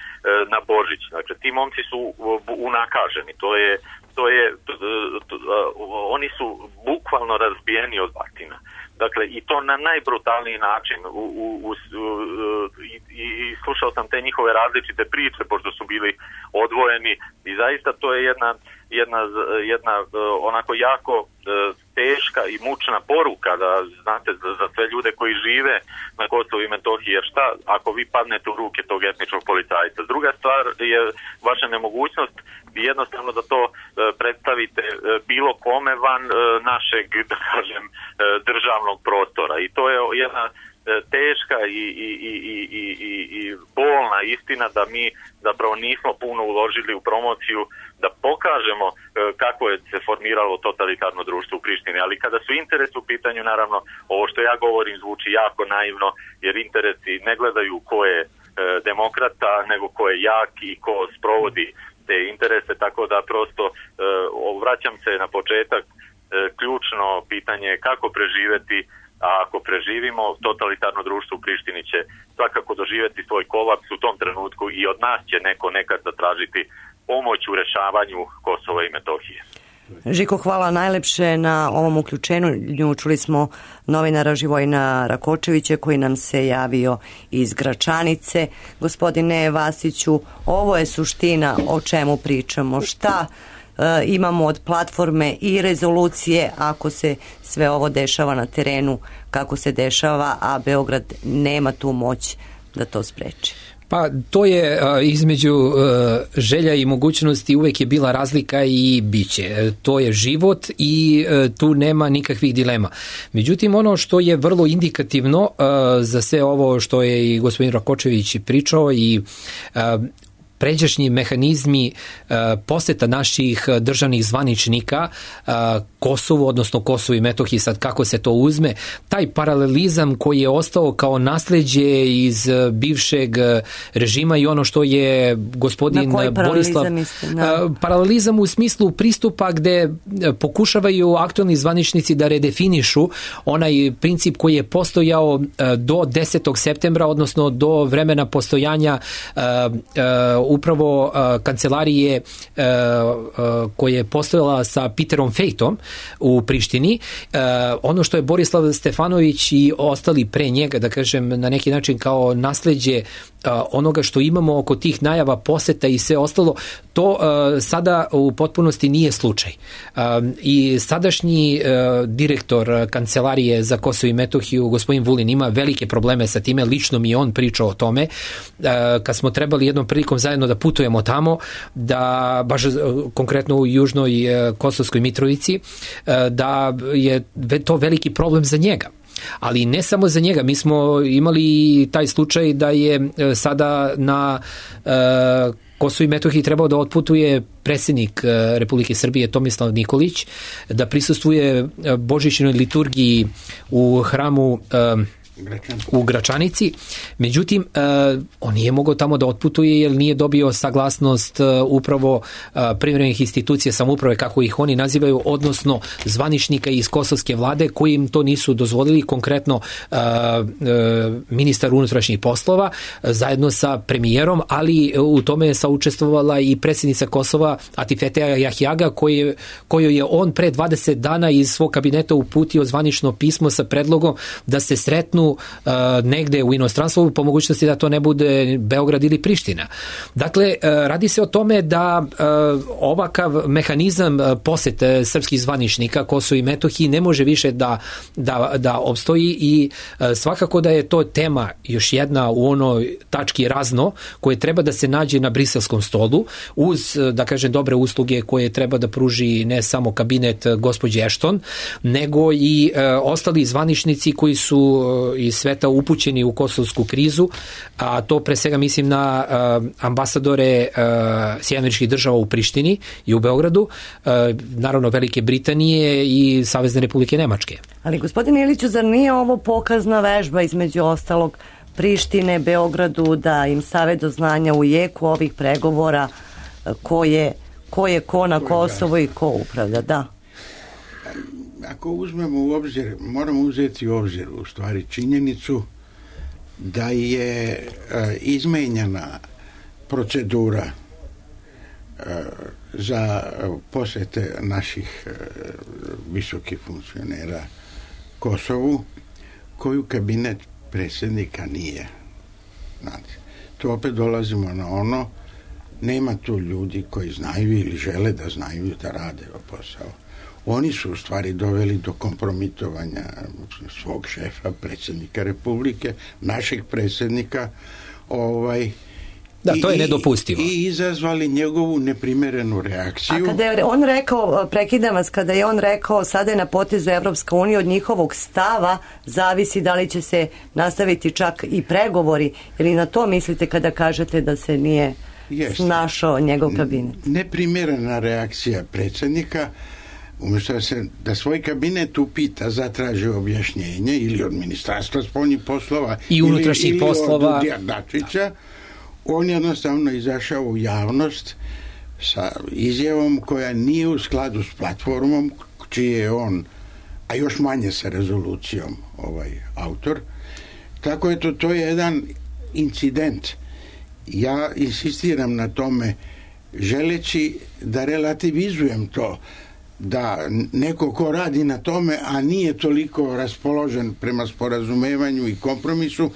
na Božić. Dakle, ti momci su unakaženi. To je, to je, to, to, oni su bukvalno razbijeni od batina. Dakle, i to na najbrutalniji način. U, u, u, i, i slušao sam te njihove različite priče, pošto su bili odvojeni, i zaista to je jedna, jedna, jedna onako jako teška i mučna poruka da, znate, za, za sve ljude koji žive na Kosovu i Metohiji, jer šta ako vi padnete u ruke tog etničkog policajca? Druga stvar je vaša nemogućnost jednostavno da to e, predstavite e, bilo kome van e, našeg, da kažem, e, državnog prostora, i to je jedna teška i, i, i, i, i, i bolna istina da mi zapravo nismo puno uložili u promociju da pokažemo e, kako je se formiralo totalitarno društvo u Prištini, ali kada su interesi u pitanju, naravno ovo što ja govorim zvuči jako naivno, jer interesi ne gledaju ko je e, demokrata, nego ko je jak i ko sprovodi te interese, tako da prosto e, vraćam se na početak, e, ključno pitanje je kako preživeti, a ako preživimo, totalitarno društvo u Prištini će svakako doživjeti svoj kolaps u tom trenutku i od nas će neko nekad zatražiti pomoć u rešavanju Kosova i Metohije. Žiko, hvala najlepše na ovom uključenju. Čuli smo novinara Živojina Rakočevića koji nam se javio iz Gračanice. Gospodine Vasiću, ovo je suština o čemu pričamo. Šta e, imamo od platforme i rezolucije ako se sve ovo dešava na terenu kako se dešava, a Beograd nema tu moć da to spreči? Pa to je a, između a, želja i mogućnosti uvek je bila razlika i biće. To je život i a, tu nema nikakvih dilema. Međutim, ono što je vrlo indikativno a, za sve ovo što je i gospodin Rakočević pričao i a, pređašnji mehanizmi uh, poseta naših državnih zvaničnika uh, Kosovu, odnosno Kosovu i Metohiji, sad kako se to uzme, taj paralelizam koji je ostao kao nasleđe iz uh, bivšeg režima i ono što je gospodin Borislav... Mislim, da. Uh, paralelizam u smislu pristupa gde pokušavaju aktualni zvaničnici da redefinišu onaj princip koji je postojao uh, do desetog septembra, odnosno do vremena postojanja uh, uh, upravo uh, kancelarije uh, uh, koje je postojala sa Peterom Fejtom u Prištini. Uh, ono što je Borislav Stefanović i ostali pre njega, da kažem, na neki način kao nasleđe uh, onoga što imamo oko tih najava poseta i sve ostalo, to uh, sada u potpunosti nije slučaj. Uh, I sadašnji uh, direktor kancelarije za Kosovo i Metohiju, gospodin Vulin, ima velike probleme sa time, lično mi je on pričao o tome, uh, kad smo trebali jednom prilikom zajedno da putujemo tamo, da baš konkretno u južnoj Kosovskoj Mitrovici, da je to veliki problem za njega. Ali ne samo za njega, mi smo imali taj slučaj da je sada na Kosovo i Metohiji trebao da otputuje predsjednik Republike Srbije Tomislav Nikolić, da prisustvuje božićnoj liturgiji u hramu u Gračanici. Međutim, uh, on nije mogao tamo da otputuje jer nije dobio saglasnost uh, upravo uh, privremenih institucija samouprave, kako ih oni nazivaju, odnosno zvaničnika iz kosovske vlade koji im to nisu dozvolili, konkretno uh, uh, ministar unutrašnjih poslova uh, zajedno sa premijerom, ali uh, u tome je saučestvovala i predsjednica Kosova Atifete Jahjaga koji, kojoj je on pre dvadeset dana iz svog kabineta uputio zvanično pismo sa predlogom da se sretnu Uh, negde u inostranstvu, po mogućnosti da to ne bude Beograd ili Priština. Dakle, uh, radi se o tome da uh, ovakav mehanizam uh, posete srpskih zvaničnika Kosovo i Metohiji ne može više da, da, da opstoji i uh, svakako da je to tema još jedna u onoj tački razno koje treba da se nađe na briselskom stolu uz, da kažem, dobre usluge koje treba da pruži ne samo kabinet gospođe Ashton, nego i uh, ostali zvaničnici koji su uh, iz sveta upućeni u kosovsku krizu, a to pre svega mislim na uh, ambasadore uh, Sjedinjenih Američkih Država u Prištini i u Beogradu, uh, naravno Velike Britanije i Savezne Republike Nemačke. Ali gospodine Iliću, zar nije ovo pokazna vežba između ostalog Prištine, Beogradu, da im stave do znanja u jeku ovih pregovora ko je ko, je ko na Kosovo i ko upravlja? Da. Ako uzmemo u obzir, moramo uzeti u obzir u stvari činjenicu da je e, izmenjena procedura e, za posete naših e, visokih funkcionera Kosovu, koju kabinet predsjednika nije. Znate, to opet dolazimo na ono, nema tu ljudi koji znaju ili žele da znaju da rade posao. Oni su u stvari doveli do kompromitovanja svog šefa, predsjednika Republike, našeg predsjednika, ovaj, da, to je nedopustivo. I izazvali njegovu neprimjerenu reakciju. A kada je on rekao, prekidam vas, kada je on rekao sada je na potezu Evropska unija, od njihovog stava zavisi da li će se nastaviti čak i pregovori, ili na to mislite kada kažete da se nije Jeste. snašao njegov kabinet? Neprimjerena reakcija predsjednika, umjesto da, se, da svoj kabinet upita, zatraži objašnjenje ili od Ministarstva spoljnih poslova i unutrašnjih ili, poslova ili od Dačića, on jednostavno izašao u javnost sa izjavom koja nije u skladu s platformom čiji je on, a još manje sa rezolucijom ovaj autor. Tako je to, to je jedan incident. Ja insistiram na tome želeći da relativizujem to, da neko ko radi na tome, a nije toliko raspoložen prema sporazumevanju i kompromisu,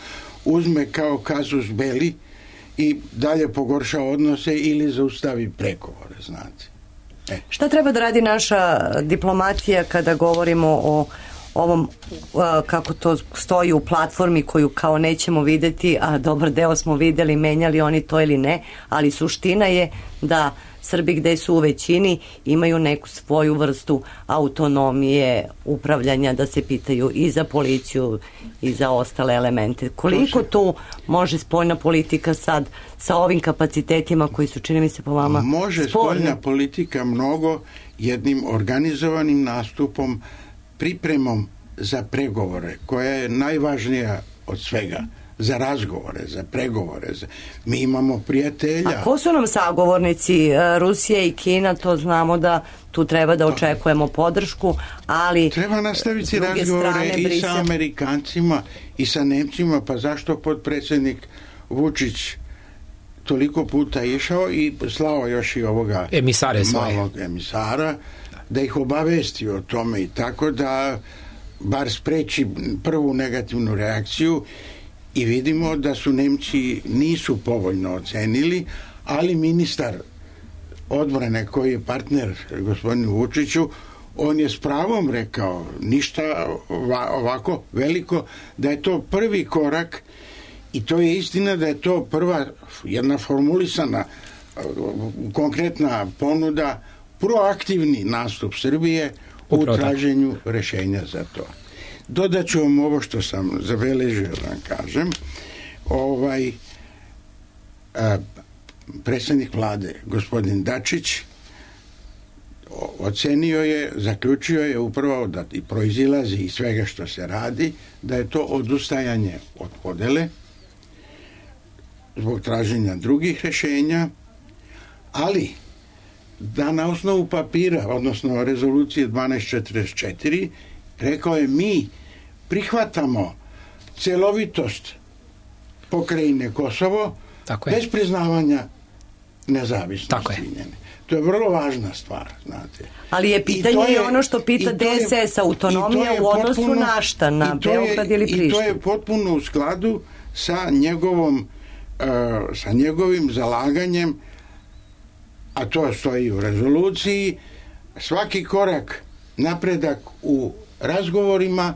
uzme kao kazus belli i dalje pogorša odnose ili zaustavi pregovore, znate. E. Šta treba da radi naša diplomatija kada govorimo o ovom, kako to stoji u platformi koju kao nećemo vidjeti, a dobar deo smo vidjeli, menjali oni to ili ne, ali suština je da Srbi gde su u većini imaju neku svoju vrstu autonomije upravljanja, da se pitaju i za policiju i za ostale elemente. Koliko tu može spoljna politika sad sa ovim kapacitetima koji su, čini mi se, po vama može spoljni? Spoljna politika mnogo jednim organizovanim nastupom, pripremom za pregovore, koja je najvažnija od svega, za razgovore, za pregovore. Za... Mi imamo prijatelja. A ko su nam sagovornici? Rusija i Kina, to znamo da tu treba da očekujemo podršku, ali treba nastaviti razgovore strane, i sa Amerikancima i sa Nemcima, pa zašto potpredsjednik Vučić toliko puta išao i slao još i ovoga emisare malog svoje. emisara, da ih obavesti o tome i tako da bar spreči prvu negativnu reakciju. I vidimo da su Nemci nisu povoljno ocenili, ali ministar odbrane koji je partner gospodinu Vučiću, on je s pravom rekao ništa ovako veliko, da je to prvi korak i to je istina da je to prva jedna formulisana konkretna ponuda, proaktivni nastup Srbije u traženju rješenja za to. Dodat ću vam ovo što sam zabeležio da vam kažem. Ovaj, a, predsjednik vlade, gospodin Dačić, ocenio je, zaključio je upravo da i proizilazi iz svega što se radi, da je to odustajanje od podele zbog traženja drugih rješenja, ali da na osnovu papira, odnosno rezolucije dvanaest četrdeset četiri, rekao je mi prihvatamo celovitost pokrajine Kosovo bez priznavanja nezavisnosti. Tako je. To je vrlo važna stvar, znate. Ali je pitanje je, ono što pita D S S, autonomija u odnosu potpuno, na šta, na Beograd ili Prištinu. I to je potpuno u skladu sa njegovom uh, sa njegovim zalaganjem, a to stoji u rezoluciji, svaki korak napredak u razgovorima,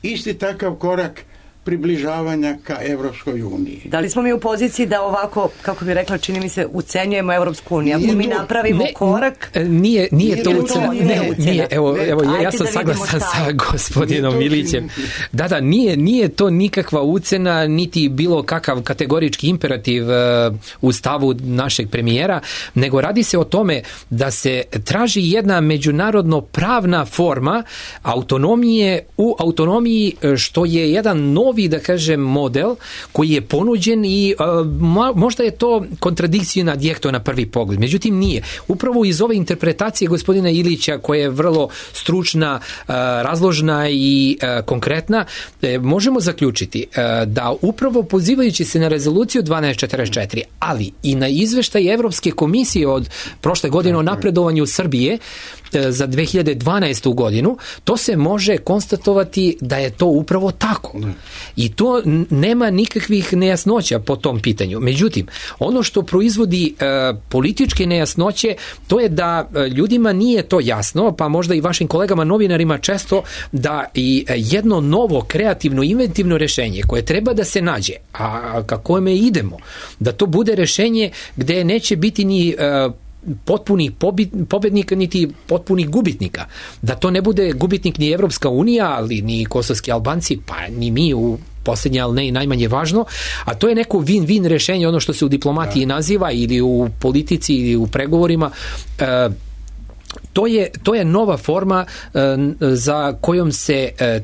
isti takav korak približavanja ka Evropskoj uniji. Da li smo mi u poziciji da ovako, kako bi rekla, čini mi se, ucenjujemo Evropsku uniju? Ako mi napravimo ne, korak... Nije, nije, nije to ucena. Ne, nije, nije, evo, ne, evo ja, ja sam saglasan sa gospodinom Milićem. Da, da, nije, nije to nikakva ucena, niti bilo kakav kategorički imperativ uh, u stavu našeg premijera, nego radi se o tome da se traži jedna međunarodno pravna forma autonomije u autonomiji, što je jedan nov novi, da kažem, model koji je ponuđen i uh, možda je to kontradikcija na dijekto na prvi pogled. Međutim, nije. Upravo iz ove interpretacije gospodina Ilića, koja je vrlo stručna, uh, razložna i uh, konkretna, eh, možemo zaključiti uh, da upravo pozivajući se na rezoluciju dvanaest četrdeset četiri, ali i na izveštaj Evropske komisije od prošle godine o napredovanju Srbije, za dve hiljade dvanaestu godinu, to se može konstatovati da je to upravo tako. Ne. I to nema nikakvih nejasnoća po tom pitanju. Međutim, ono što proizvodi e, političke nejasnoće, to je da ljudima nije to jasno, pa možda i vašim kolegama novinarima često, da i jedno novo, kreativno, inventivno rešenje koje treba da se nađe, a kako me idemo, da to bude rešenje gde neće biti ni e, potpunih pobednika niti potpunih gubitnika. Da to ne bude gubitnik ni Evropska unija, ali ni kosovski Albanci, pa ni mi u posljednje, ali ne i najmanje važno, a to je neko win-win rešenje, ono što se u diplomatiji da. naziva ili u politici ili u pregovorima. E, to je, to je nova forma e, za kojom se e,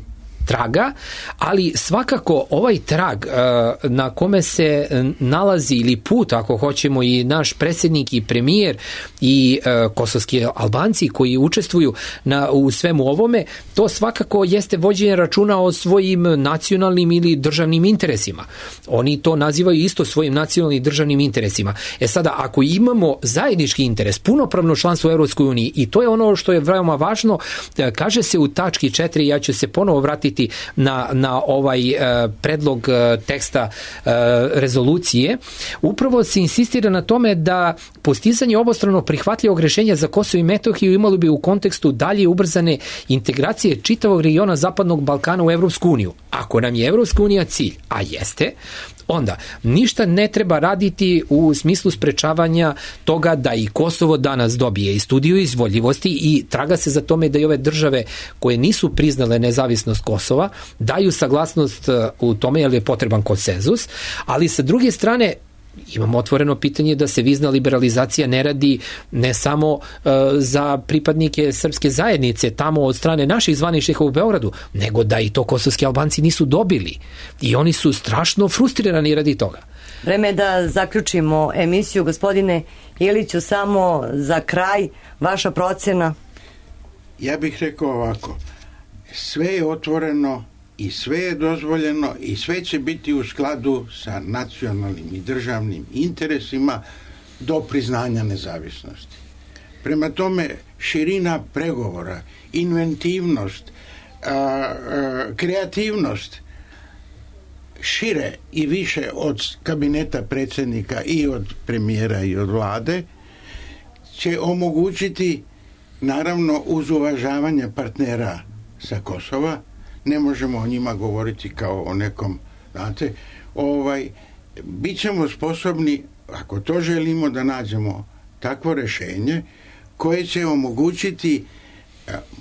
traga, ali svakako ovaj trag uh, na kome se nalazi ili put, ako hoćemo, i naš predsjednik i premijer i uh, kosovski Albanci koji učestvuju na, u svemu ovome, to svakako jeste vođenje računa o svojim nacionalnim ili državnim interesima. Oni to nazivaju isto svojim nacionalnim i državnim interesima. E sada, ako imamo zajednički interes, punopravno članstvo u Evropskoj uniji, i to je ono što je veoma važno, kaže se u tački četiri, ja ću se ponovo vratiti na, na ovaj uh, predlog uh, teksta uh, rezolucije, upravo se insistira na tome da postizanje obostrano prihvatljivog rešenja za Kosovo i Metohiju imalo bi u kontekstu dalje ubrzane integracije čitavog regiona Zapadnog Balkana u Evropsku uniju. Ako nam je Evropska unija cilj, a jeste, onda ništa ne treba raditi u smislu sprečavanja toga da i Kosovo danas dobije i studiju izvodljivosti i traga se za tome da i ove države koje nisu priznale nezavisnost Kosova daju saglasnost u tome jer je potreban konsenzus, ali sa druge strane imamo otvoreno pitanje da se vizna liberalizacija ne radi ne samo uh, za pripadnike srpske zajednice tamo od strane naših zvaničnika u Beogradu, nego da i to kosovski Albanci nisu dobili. I oni su strašno frustrirani radi toga. Vreme je da zaključimo emisiju. Gospodine Iliću, samo za kraj, vaša procena? Ja bih rekao ovako, sve je otvoreno i sve je dozvoljeno i sve će biti u skladu sa nacionalnim i državnim interesima do priznanja nezavisnosti. Prema tome, širina pregovora, inventivnost, a, a, kreativnost, šire i više od kabineta predsjednika i od premijera i od vlade, će omogućiti, naravno uz uvažavanje partnera sa Kosova, ne možemo o njima govoriti kao o nekom, znate, ovaj, bit ćemo sposobni, ako to želimo, da nađemo takvo rešenje koje će omogućiti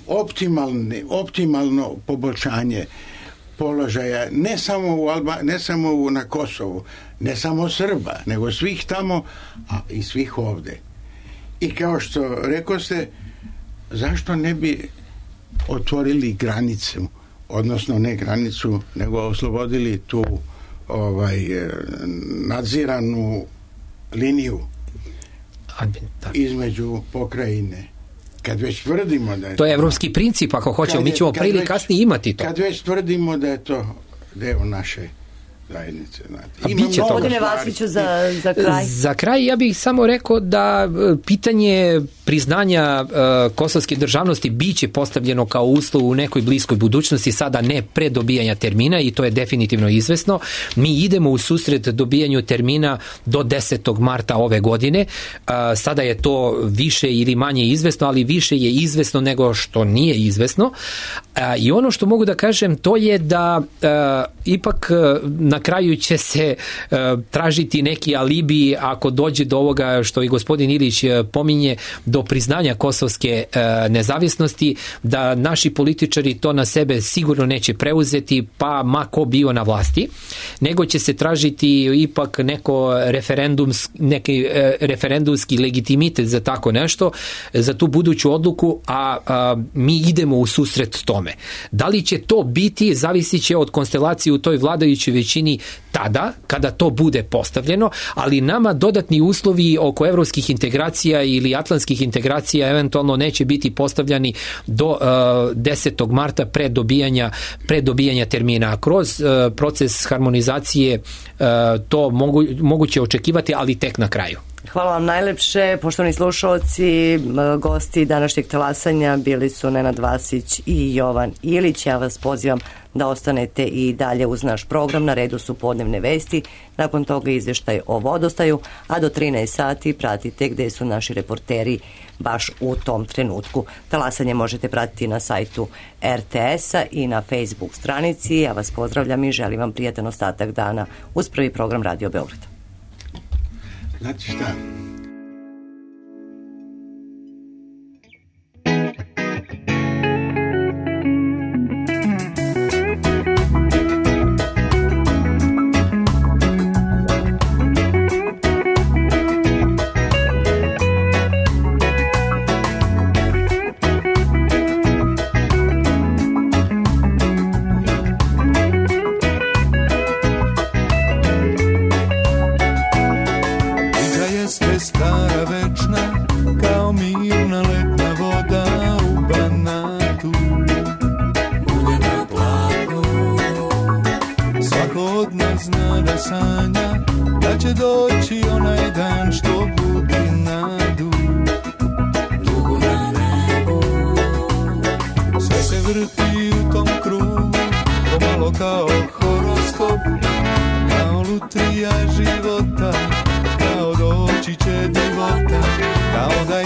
optimalne, optimalno poboljšanje položaja ne samo, u Alba, ne samo u, na Kosovu, ne samo Srba, nego svih tamo, a i svih ovde. I kao što rekoste, zašto ne bi otvorili granicu, odnosno ne granicu, nego oslobodili tu ovaj nadziranu liniju između pokrajine. Kad već tvrdimo da je to je evropski princip, ako hoćemo, mi ćemo pre ili kasnije imati to. Kad već tvrdimo da je to deo naše zajednice. Gospodine Vasiću, za, za kraj. Za kraj ja bih samo rekao da pitanje priznanja uh, kosovske državnosti biće postavljeno kao uslov u nekoj bliskoj budućnosti, sada ne pre dobijanja termina, i to je definitivno izvesno. Mi idemo u susret dobijanju termina do desetog marta ove godine. Uh, sada je to više ili manje izvesno, ali više je izvesno nego što nije izvesno. Uh, I ono što mogu da kažem, to je da uh, ipak uh, na kraju će se uh, tražiti neki alibi ako dođe do ovoga što i gospodin Ilić uh, pominje, do priznanja kosovske uh, nezavisnosti, da naši političari to na sebe sigurno neće preuzeti, pa ma ko bio na vlasti, nego će se tražiti ipak neko referendums, neki uh, referendumski legitimitet za tako nešto, za tu buduću odluku, a, a mi idemo u susret tome. Da li će to biti, zavisit će od konstelacije u toj vladajućoj većini tada, kada to bude postavljeno, ali nama dodatni uslovi oko evropskih integracija ili atlantskih integracija eventualno neće biti postavljani do uh, desetog marta pre dobijanja, pre dobijanja termina. Kroz uh, proces harmonizacije uh, to mogu, moguće očekivati, ali tek na kraju. Hvala vam najlepše, poštovani slušalci. Gosti današnjeg talasanja bili su Nenad Vasić i Jovan Ilić. Ja vas pozivam da ostanete i dalje uz naš program. Na redu su podnevne vesti, nakon toga izvještaj o vodostaju, a do trinaest sati pratite gde su naši reporteri baš u tom trenutku. Talasanje možete pratiti na sajtu er te es-a i na Facebook stranici. Ja vas pozdravljam i želim vam prijatan ostatak dana uz prvi program Radio Beograda. Znate šta?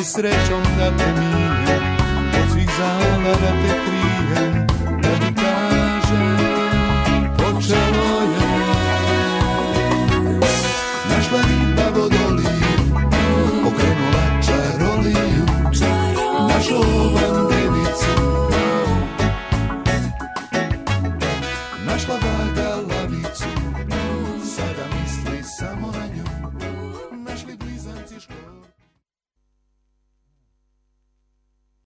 Srećom da te mijem, od svih zala da te krijem, da ti kažem, počelo je. Našla riba vodoliju, okrenula čaroliju, našla ovan devicu, našla